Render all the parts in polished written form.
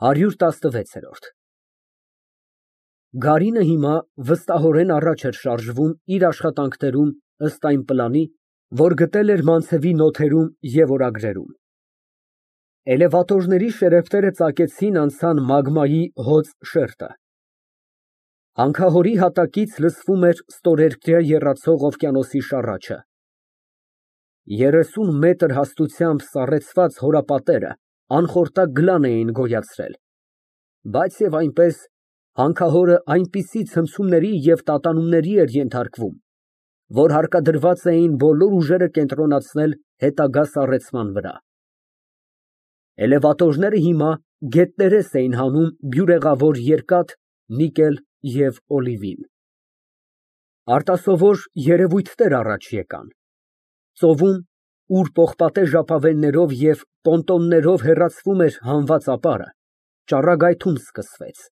116։ Գարինը հիմա վստահորեն առաջ էր շարժվում իր աշխատանքներում ըստ այն պլանի, որ գտել էր Մանցևի նոթերում և օրագրերում։ Էլևատորների շերեֆները ծակեցին անցան մագմայի հոծ շերտը։ Հանքահորի հատակից լսվում էր ստորերկրյա եռացող օվկիանոսի շառաչը։ 30 մետր հաստությամբ սառեցված հորապատերը անխորտակ գլան էին գոյացրել, բայց և այնպես հանքահորը այնպիսի ցնցումների և տատանումների էր ենթարկվում, որ հարկադրված էին բոլոր ուժերը կենտրոնացնել հետագա սառեցման վրա։ Էլևատորները հիմա գետներես էին հանում բյուրեղավոր երկաթ, նիկել և օլիվին։ Արտասովոր երևույթներ առաջ եկան։ Ծովում, ուր պողպատե ժապավեններով և պոնտոններով հեռացվում էր հանված ապարը, ճառագայթում սկսվեց։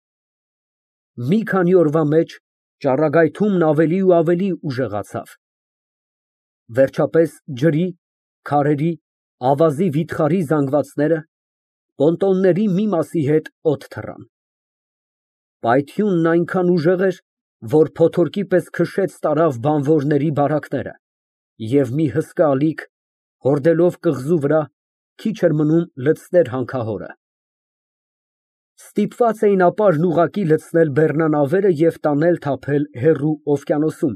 Մի քանի օրվա մեջ ճառագայթումն ավելի ու ավելի ուժեղացավ։ Վերջապես ջրի, քարերի, ավազի վիթխարի զանգվածները պոնտոնների մի մասի հետ օդ թռան։ Պայթյունն այնքան ուժեղ էր, որ փոթորկի պես քշեց տարավ բանվորների բարակները, և մի հսկա ալիք, հորդելով կղզու վրա, քիչ էր մնում լցներ հանքահորը։ Ստիպված էին ապարն ուղղակի լցնել բեռնանավերը և տանել թափել հեռու օվկիանոսում,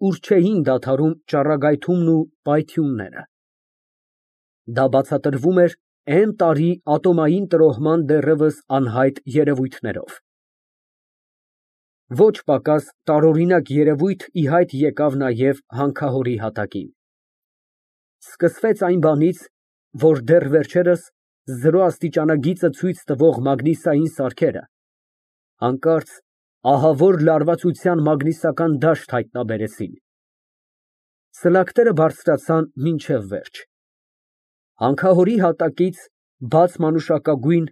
ուր չէին դադարում ճառագայթումն ու պայթյունները։ Դա բացատրվում էր N֊տարի ատոմային տրոհման դեռևս անհայտ երևույթներով։ Ոչ պակաս տարօրինակ երևույթ ի հայտ եկավ նաև հանքահորի հատակին։ Սկսվեց այն բանից, որ դեռ վերջերս զրո աստիճանագիծը ցույց տվող մագնիսային սարքերը հանկարծ ահավոր լարվածության մագնիսական դաշտ հայտնաբերեցին։ Սլաքները բարձրացան մինչև վերջ։ Հանքահորի հատակից բաց մանուշակագույն,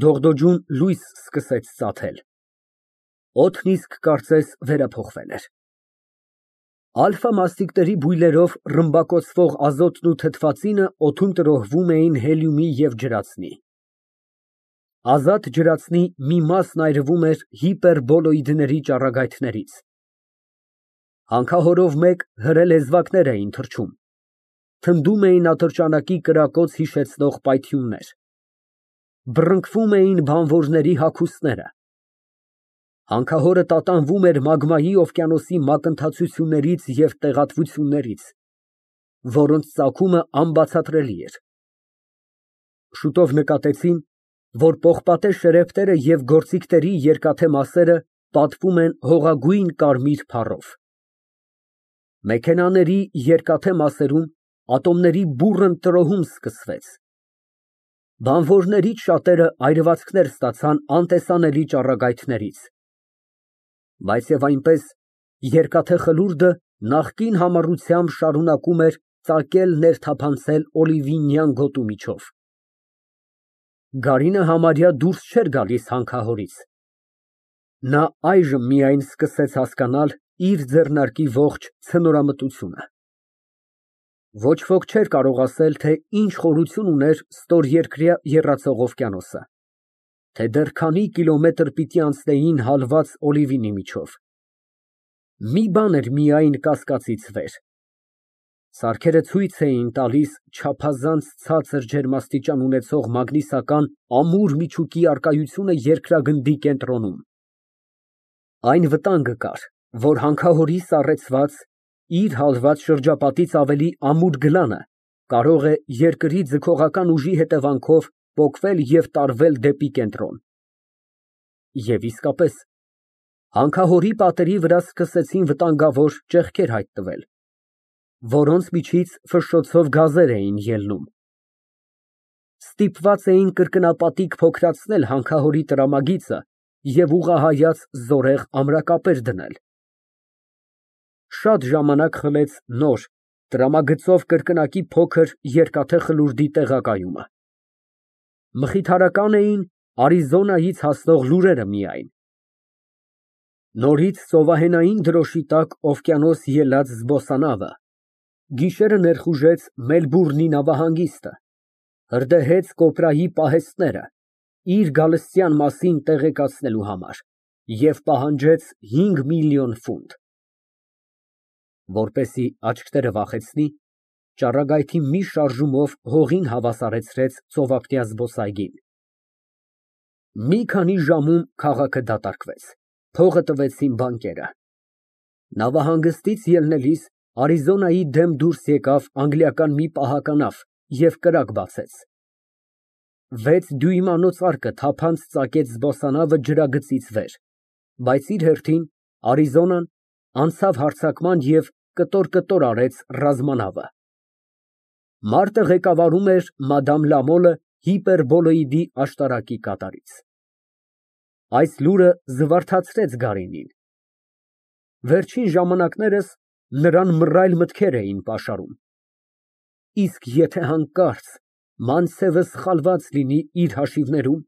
դողդոջուն լույս սկսեց ծագել։ Օդն իսկ կարծես վերափոխվել էր։ Ալֆա մասնիկների բույլերով ռմբակոծվող ազոտն ու թթվածինը օդում տրոհվում էին հելիումի և ջրածնի։ Ազատ ջրածնի մի մասն այրվում էր հիպերբոլոիդների ճառագայթներից։ Հանքահորով մեկ հրե լեզվակներ էին թռչում։ Թնդում էին ատրճանակի կրակոց հիշեցնող պայթյուններ։ Բռնկվում էին բանվորների հագուստները։ Հանքահորը տատանվում էր մագմայի օվկիանոսի մակընթացություններից և տեղատվություններից, որոնց ծագումը անբացատրելի էր։ Շուտով նկատեցին, որ պողպատե շերեֆները և գործիքների երկաթե մասերը պատվում են հողագույն կարմիր փառով։ Մեքենաների երկաթե մասերում ատոմների բուռն տրոհում սկսվեց։ Բանվորներից շատերը այրվածքներ ստացան անտեսանելի ճառագայթներից։ Բայց և այնպես երկաթե խլուրդը նախկին համառությամբ շարունակում էր ծակել ներթափանցել օլիվինյան գոտու միջով։ Գարինը համարյա դուրս չէր գալիս հանքահորից։ Նա այժմ միայն սկսեց հասկանալ իր ձեռնարկի ողջ ցնորամտությունը։ Ոչ ոք չէր կարող ասել, թե ինչ խորություն ուներ ստորերկրյա եռացող օվկիանոսը, թե դեռ քանի կիլոմետր պիտի անցնեին հալված օլիվինի միջով։ Մի բան էր միայն կասկածից վեր. սարքերը ցույց էին տալիս չափազանց ցածր ջերմաստիճան ունեցող մագնիսական ամուր միջուկի առկայությունը երկրագնդի կենտրոնում։ Այն վտանգը կար, որ հանքահորի սառեցված, իր հալված շրջապատից ավելի ամուր գլանը կարող է երկրի ձգողական ուժի հետևանքով պոկվել և տարվել դեպի կենտրոն։ Եվ իսկապես, հանքահորի պատերի վրա սկսեցին վտանգավոր ճեղքեր հայտնվել, որոնց միջից ֆշշոցով գազեր էին ելնում։ Ստիպված էին կրկնապատիկ փոքրացնել հանքահորի տրամագիծը և ուղղահայաց զորեղ ամրակապեր դնել։ Շատ ժամանակ խլեց նոր, տրամագծով կրկնակի փոքր երկաթե խլուրդի տեղակայումը։ Մխիթարական էին Արիզոնայից հասնող լուրերը միայն։ Նորից ծովահենային դրոշի տակ օվկիանոս ելած զբոսանավը գիշերը ներխուժեց Մելբուրնի նավահանգիստը, հրդեհեց կոպրայի պահեստները իր գալստյան մասին տեղեկացնելու համար և պահանջեց 5 միլիոն ֆունտ։ Որպեսզի աչքերը վախեցնի, ճառագայթի մի շարժումով հողին հավասարեցրեց ծովափնյա զբոսայգին։ Մի քանի ժամում քաղաքը դատարկվեց, փողը տվեցին բանկերը։ Նավահանգստից ելնելիս Արիզոնայի դեմ դուրս եկավ անգլիական մի պահականավ և կրակ բացեց։ 6 դյույմանոց արկը թափանց ծակեց զբոսանավը ջրագծից վեր, բայց իր հերթին Արիզոնան անցավ հարձակման և կտոր արեց ռազմանավը։ Մարտը ղեկավարում էր մադամ Լամոլը հիպերբոլոիդի աշտարակի կատարից։ Այս լուրը զվարթացրեց Գարինին։ Վերջին ժամանակներս նրան մռայլ մտքեր էին պաշարում։ Իսկ եթե հանկարծ Մանցևը սխալված լինի իր հաշիվներում։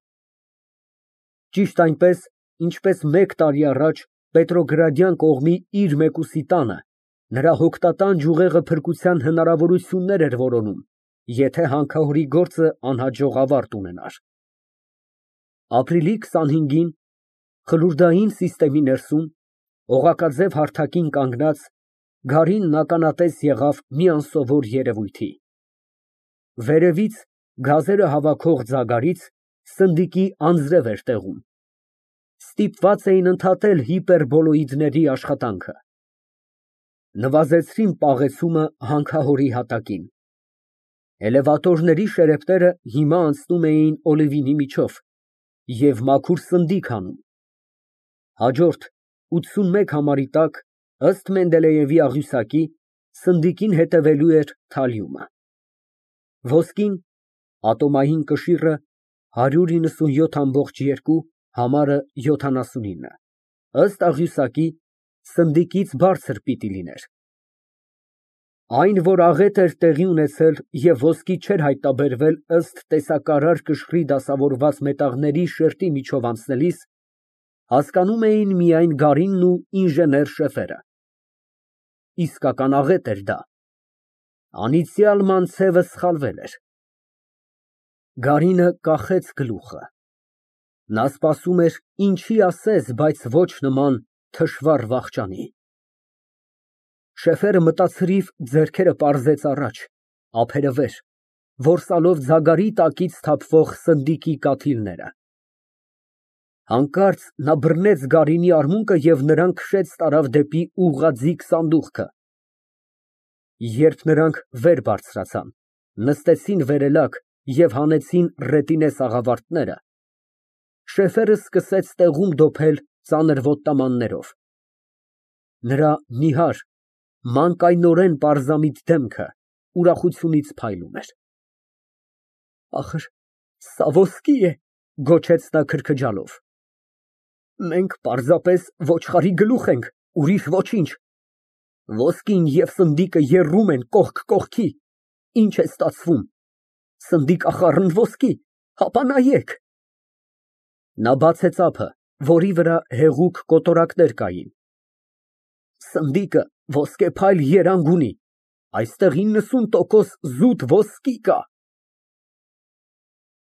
Ճիշտ այնպես, ինչպես 1 տարի առաջ Պետրոգրադյան կողմի իր մեկուսի տանը նրա հոգտատան ջուղեղը փրկության հնարավորություններ էր որոնում, եթե հանքահորի գործը անհաջող ավարտ ունենար։ Ապրիլի 25-ին խլուրդային սիստեմի ներսում, օղակաձև հարթակին կանգնած, Գարինն ականատես եղավ մի անսովոր երևույթի։ Վերևից գազերը հավաքող ձագարից սնդիկի անձրև էր տեղում։ Ստիպված էին ընդհատել հիպերբոլոիդների աշխատանքը։ Նվազեցրին պաղեցումը հանքահորի հատակին։ Էլևատորների շերեփները հիմա անցնում էին Օլիվինի միջով և մաքուր սնդիկ հանում։ Հաջորդ 81 համարի տակ, ըստ Մենդելեևի աղյուսակի, սնդիկին հետևելու էր թալիումը։ Ոսկին, ատոմային կշիռը 197.2, համարը 79, ըստ աղյուսակի, սնդիկից բարձր պիտի լիներ։ Այն, որ աղետ էր տեղի ունեցել և ոսկի չէր հայտնաբերվել ըստ տեսակարար կշռի դասավորված մետաղների շերտի միջով անցնելիս, հասկանում էին միայն Գարինն ու ինժեներ Շեֆերը։ Իսկական աղետ էր դա։ Անիծյալ Մանցևը սխալվել էր։ Գարինը կախեց գլուխը։ Նա սպասում էր ինչի ասես, բայց ոչ նման թշվառ վախճանի։ Շեֆերը մտացրիվ ձեռքերը պարզեց առաջ, ափերը վեր, որսալով ձագարի տակից թափվող սնդիկի կաթիլները։ Հանկարծ նա բռնեց Գարինի արմունկը և նրան քշեց տարավ դեպի ուղղաձիգ սանդուղքը։ Երբ նրանք վեր բարձրացան, նստեցին վերելակ և հանեցին ռետինե սաղավարտները, Շեֆերը սկսեց տեղում դոփել ծանր ոտնամաններով։ Նրա նիհար, մանկայնորեն պարզամիտ դեմքը ուրախությունից փայլում էր։ Սա ոսկի է, գոչեց նա քրքջալով։ Մենք պարզապես ոչխարի գլուխ ենք, ուրիշ ոչինչ։ Ոսկին և սնդիկը եռում են կողք կողքի։ Ինչ է ստացվում։ Սնդիկ աղառն հապա նայեք։ Նա բացեց ափը, որի վրա հեղուկ կոտորակներ կային։ Սնդիկը ոսկեփայլ երանգ ունի, այստեղ 90% զուտ ոսկի կա։